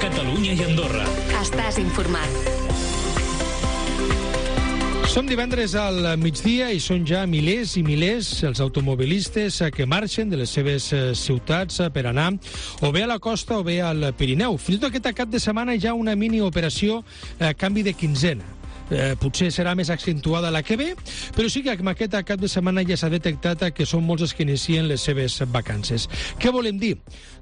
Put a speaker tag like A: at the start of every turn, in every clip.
A: Catalunya i Andorra.
B: Estàs informat.
C: Som divendres al migdia i són ja milers i milers els automobilistes que marxen de les seves ciutats per anar o bé a la costa o bé al Pirineu. Fins i tot aquest cap de setmana hi ha una mini operació canvi de quinzena. Potser serà més accentuada la que ve, però sí que amb aquest cap de setmana ja s'ha detectat que són molts els que inicien les seves vacances. Què volem dir?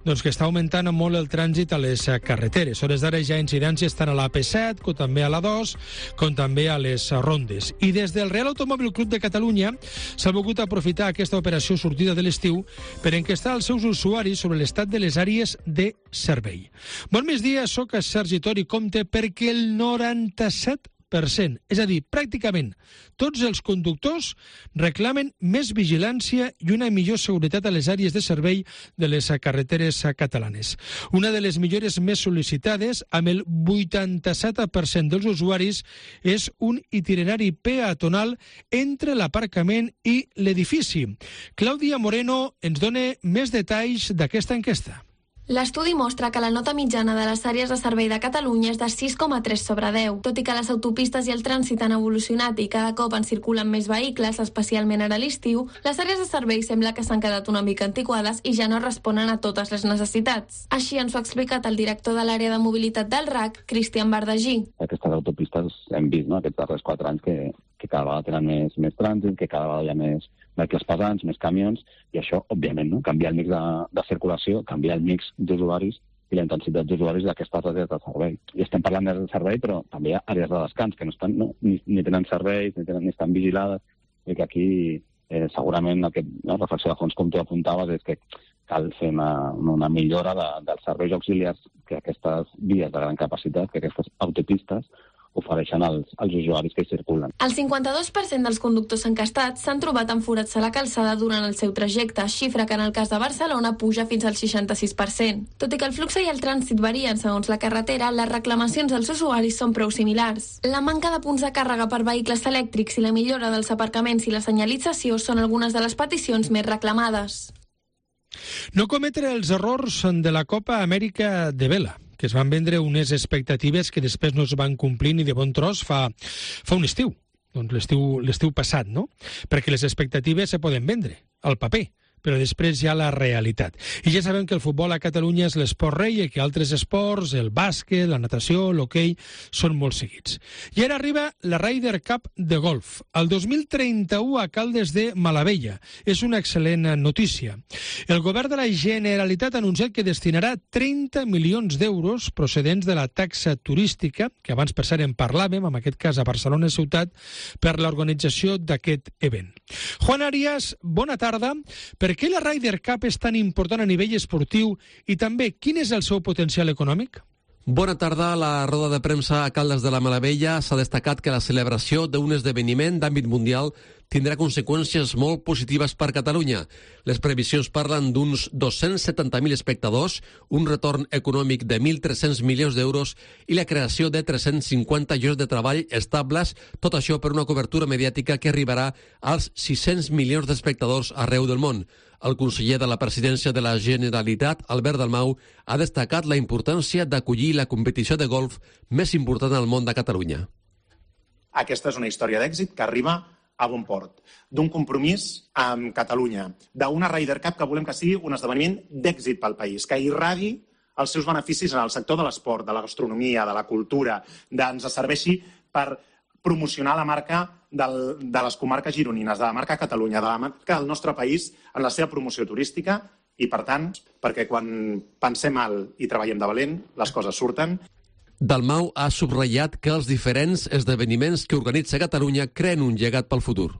C: Doncs que està augmentant molt el trànsit a les carreteres. A hores d'ara hi ha incidències tant a l'AP7, com també a l'A2, com també a les rondes. I des del Real Automòbil Club de Catalunya s'ha volgut aprofitar aquesta operació sortida de l'estiu per enquestar els seus usuaris sobre l'estat de les àrees de servei. Bon migdia, soc Sergi Tori Comte, perquè el 97%, és a dir, pràcticament tots els conductors reclamen més vigilància i una millor seguretat a les àrees de servei de les carreteres catalanes. Una de les millores més sol·licitades, amb el 87% dels usuaris, és un itinerari peatonal entre l'aparcament i l'edifici. Clàudia Moreno ens dona més detalls d'aquesta enquesta.
D: L'estudi mostra que la nota mitjana de les àrees de servei de Catalunya és de 6,3 sobre 10. Tot i que les autopistes i el trànsit han evolucionat i cada cop en circulen més vehicles, especialment ara a l'estiu, les àrees de servei sembla que s'han quedat una mica antiquades i ja no responen a totes les necessitats. Així ens ho ha explicat el director de l'àrea de mobilitat del RAC, Cristian Bardagí.
E: Aquestes autopistes hem vist, aquests darrers 4 anys que cada vegada tenen més trànsit, que cada vegada hi ha més vehicles pesants, més camions, i això, òbviament, canviar el mix de circulació, canviar el mix d'usuaris i la intensitat d'usuaris d'aquestes àrees de servei. I estem parlant d'àrees de servei, però també hi ha àrees de descans que no estan, ni tenen serveis, ni estan vigilades, i que aquí segurament la reflexió de fons, com tu apuntaves, és que cal fer una millora dels serveis auxiliars que aquestes vies de gran capacitat, que aquestes autopistes, ofereixen als usuaris que hi circulen.
D: El 52% dels conductors encastats s'han trobat amb forats a la calçada durant el seu trajecte, xifra que en el cas de Barcelona puja fins al 66%. Tot i que el flux i el trànsit varien segons la carretera, les reclamacions dels usuaris són prou similars. La manca de punts de càrrega per vehicles elèctrics i la millora dels aparcaments i la senyalització són algunes de les peticions més reclamades.
C: No cometre els errors de la Copa Amèrica de Vela, que es van vendre unes expectatives que després no es van complir ni de bon tros fa un estiu, doncs l'estiu passat, no? Perquè les expectatives se poden vendre al paper, però després hi ha la realitat. I ja sabem que el futbol a Catalunya és l'esport rei i que altres esports, el bàsquet, la natació, l'hoquei, són molt seguits. I ara arriba la Ryder Cup de golf. El 2031 a Caldes de Malavella. És una excel·lent notícia. El govern de la Generalitat ha anunciat que destinarà 30 milions d'euros procedents de la taxa turística, que abans per cert en parlàvem, en aquest cas a Barcelona ciutat, per l'organització d'aquest event. Juan Arias, bona tarda. Per què la Ryder Cup és tan important a nivell esportiu i també quin és el seu potencial econòmic?
F: Bona tarda. A la roda de premsa a Caldes de la Malavella s'ha destacat que la celebració d'un esdeveniment d'àmbit mundial tindrà conseqüències molt positives per Catalunya. Les previsions parlen d'uns 270.000 espectadors, un retorn econòmic de 1.300 milions d'euros i la creació de 350 llocs de treball estables, tot això per una cobertura mediàtica que arribarà als 600 milions d'espectadors arreu del món. El conseller de la Presidència de la Generalitat, Albert Dalmau, ha destacat la importància d'acollir la competició de golf més important al món de Catalunya.
G: Aquesta és una història d'èxit que arriba a bon port, d'un compromís amb Catalunya, d'una Ryder Cup que volem que sigui un esdeveniment d'èxit pel país, que irradi els seus beneficis en el sector de l'esport, de la gastronomia, de la cultura, ens serveixi per promocionar la marca de les comarques gironines, de la marca Catalunya, de la marca del nostre país en la seva promoció turística i, per tant, perquè quan pensem alt i treballem de valent, les coses surten.
F: Dalmau ha subratllat que els diferents esdeveniments que organitza Catalunya creen un llegat pel futur.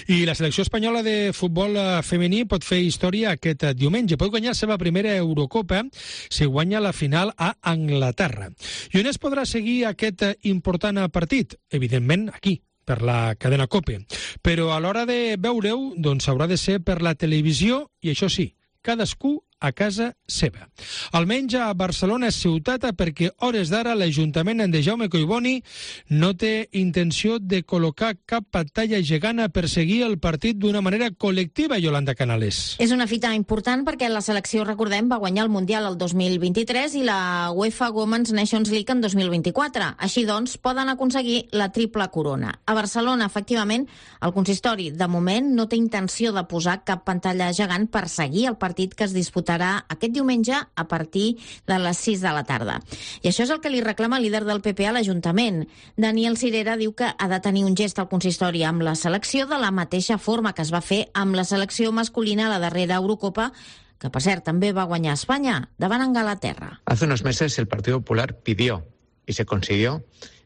C: I la selecció espanyola de futbol femení pot fer història aquest diumenge. Pot guanyar la seva primera Eurocopa si guanya la final a Anglaterra. I on es podrà seguir aquest important partit? Evidentment, aquí, per la cadena COPE. Però a l'hora de veure-ho, doncs haurà de ser per la televisió i, això sí, cadascú a casa seva. Almenys a Barcelona ciutat, perquè hores d'ara l'Ajuntament de Jaume Collboni no té intenció de col·locar cap pantalla gegant a perseguir el partit d'una manera col·lectiva, Yolanda Canales.
A: És una fita important perquè la selecció, recordem, va guanyar el Mundial el 2023 i la UEFA Women's Nations League en 2024. Així doncs, poden aconseguir la triple corona. A Barcelona, efectivament, el consistori, de moment, no té intenció de posar cap pantalla gegant per seguir el partit que es disputarà aquest diumenge a partir de les 6 de la tarda. I això és el que li reclama el líder del PP a l'Ajuntament. Daniel Cirera diu que ha de tenir un gest al consistori amb la selecció de la mateixa forma que es va fer amb la selecció masculina a la darrera Eurocopa, que per cert també va guanyar Espanya davant Anglaterra.
B: Hace unos meses el Partido Popular pidió y se consiguió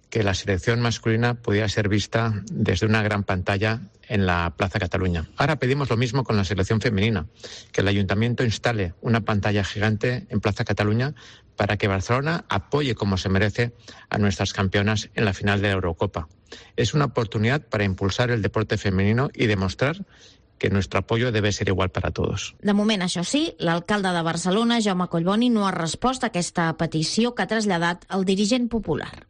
B: que la selección masculina pudiera ser vista desde una gran pantalla en la Plaza Cataluña. Ahora pedimos lo mismo con la selección femenina, que el Ayuntamiento instale una pantalla gigante en Plaza Cataluña para que Barcelona apoye como se merece a nuestras campeonas en la final de la Eurocopa. Es una oportunidad para impulsar el deporte femenino y demostrar que nuestro apoyo debe ser igual para todos.
A: De moment, això sí, l'alcalde de Barcelona, Jaume Collboni, no ha respost a aquesta petició que ha traslladat el dirigent popular.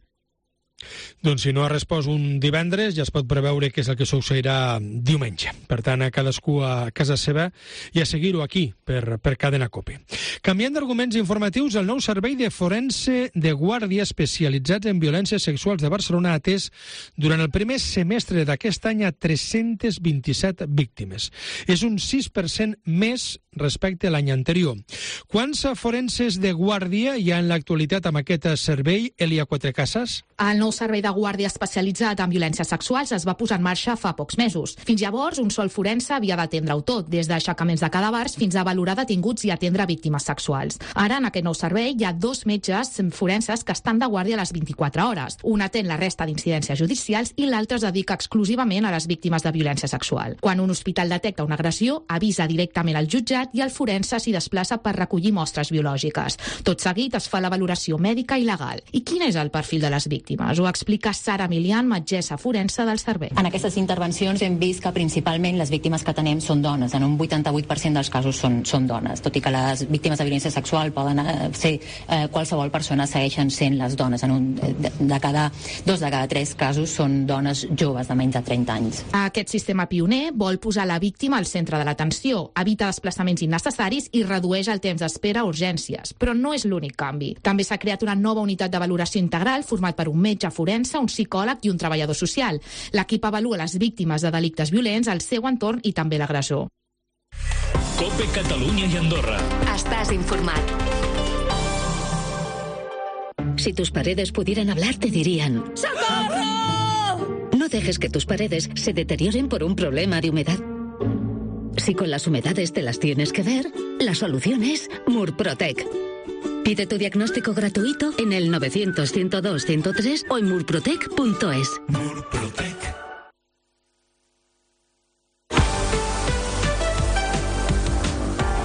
C: Doncs si no ha respost un divendres, ja es pot preveure què és el que succeirà diumenge. Per tant, a cadascú a casa seva i a seguir-ho aquí, per Cadena COPE. Canviant d'arguments informatius, el nou servei de forense de guàrdia especialitzats en violències sexuals de Barcelona ha atès durant el primer semestre d'aquest any a 327 víctimes. És un 6% més respecte a l'any anterior. Quants forenses de guàrdia hi ha en l'actualitat amb aquest servei, Elia Quatrecasas?
H: El nou servei de guàrdia especialitzat en violències sexuals es va posar en marxa fa pocs mesos. Fins llavors, un sol forense havia d'atendre-ho tot, des d'aixecaments de cadàvers fins a valorar detinguts i atendre víctimes sexuals. Ara, en aquest nou servei, hi ha 2 metges forenses que estan de guàrdia a les 24 hores. Un atén la resta d'incidències judicials i l'altre es dedica exclusivament a les víctimes de violència sexual. Quan un hospital detecta una agressió, avisa directament al jutjat i el forense s'hi desplaça per recollir mostres biològiques. Tot seguit es fa la valoració mèdica i legal. I quin és el perfil de les víctimes? Ho explica Sara Milian, metgessa forense del servei.
I: En aquestes intervencions hem vist que principalment les víctimes que tenem són dones. En un 88% dels casos són dones. Tot i que les víctimes de violència sexual poden ser qualsevol persona, segueixen sent les dones. Dos de cada 3 casos són dones joves de menys de 30 anys.
H: Aquest sistema pioner vol posar la víctima al centre de l'atenció, evita desplaçaments innecessaris i redueix el temps d'espera a urgències. Però no és l'únic canvi. També s'ha creat una nova unitat de valoració integral format per un metge forense, un psicòleg i un treballador social. L'equip avalua les víctimes de delictes violents, el seu entorn i també l'agressor.
J: COPE Catalunya i Andorra.
K: Estàs informat. Si tus paredes pudieran hablar, te dirían: ¡Socorro! No dejes que tus paredes se deterioren por un problema de humedad. Si con las humedades te las tienes que ver, la solución es Murprotec. Pide tu diagnóstico gratuito en el 900-102-103 o en murprotec.es.
J: Murprotec.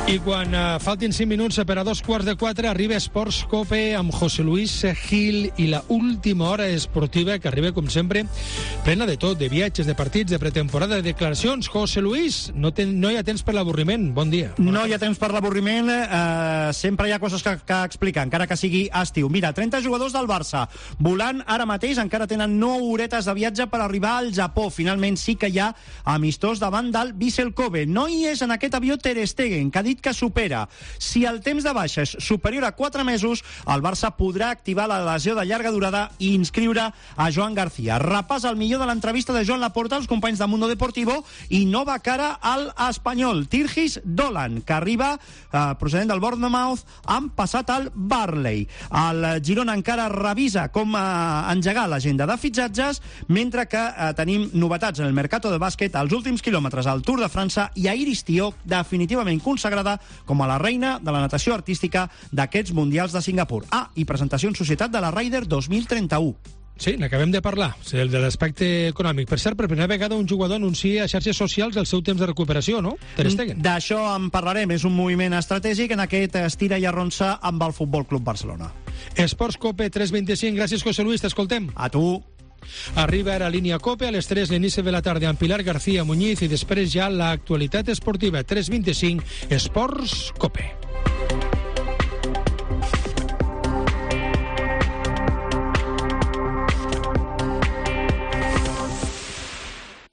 C: I quan faltin 5 minuts per a 3:45 arriba Esports COPE amb José Luis Gil i la última hora esportiva que arriba, com sempre, plena de tot, de viatges, de partits, de pretemporada, de declaracions. José Luis, no hi ha temps per l'avorriment. Bon dia.
L: No hi ha temps per l'avorriment. Sempre hi ha coses que explicar, encara que sigui estiu. Mira, 30 jugadors del Barça volant ara mateix, encara tenen 9 horetes de viatge per arribar al Japó. Finalment sí que hi ha amistós davant del Vissel Kobe. No hi és en aquest avió Ter Stegen, que ha dit que supera. Si el temps de baixa és superior a 4 mesos, el Barça podrà activar la lesió de llarga durada i inscriure a Joan García. Repàs el millor de l'entrevista de Joan Laporta als companys de Mundo Deportivo i nova cara al espanyol, Tirgis Dolan, que arriba procedent del Bournemouth, han passat al Burnley. El Girona encara revisa com engegar l'agenda de fitxatges, mentre que tenim novetats en el mercato de bàsquet, als últims quilòmetres al Tour de França i a Iris Tió, definitivament consagrada com a la reina de la natació artística d'aquests Mundials de Singapur. I presentació en societat de la Ryder 2031.
C: Sí, n'acabem de parlar, el de l'aspecte econòmic. Per cert, per primera vegada un jugador anuncia a xarxes socials el seu temps de recuperació, no? Ter Stegen.
L: D'això en parlarem, és un moviment estratègic en aquest estira i arronsa amb el Futbol Club Barcelona.
C: Esports COPE 3:25, gràcies José Luis, t'escoltem.
L: A tu.
C: Arriba ara Línia COPE, a les 3 l'inici de la tarda amb Pilar García Muñiz i després ja l'actualitat esportiva 3:25, Esports COPE.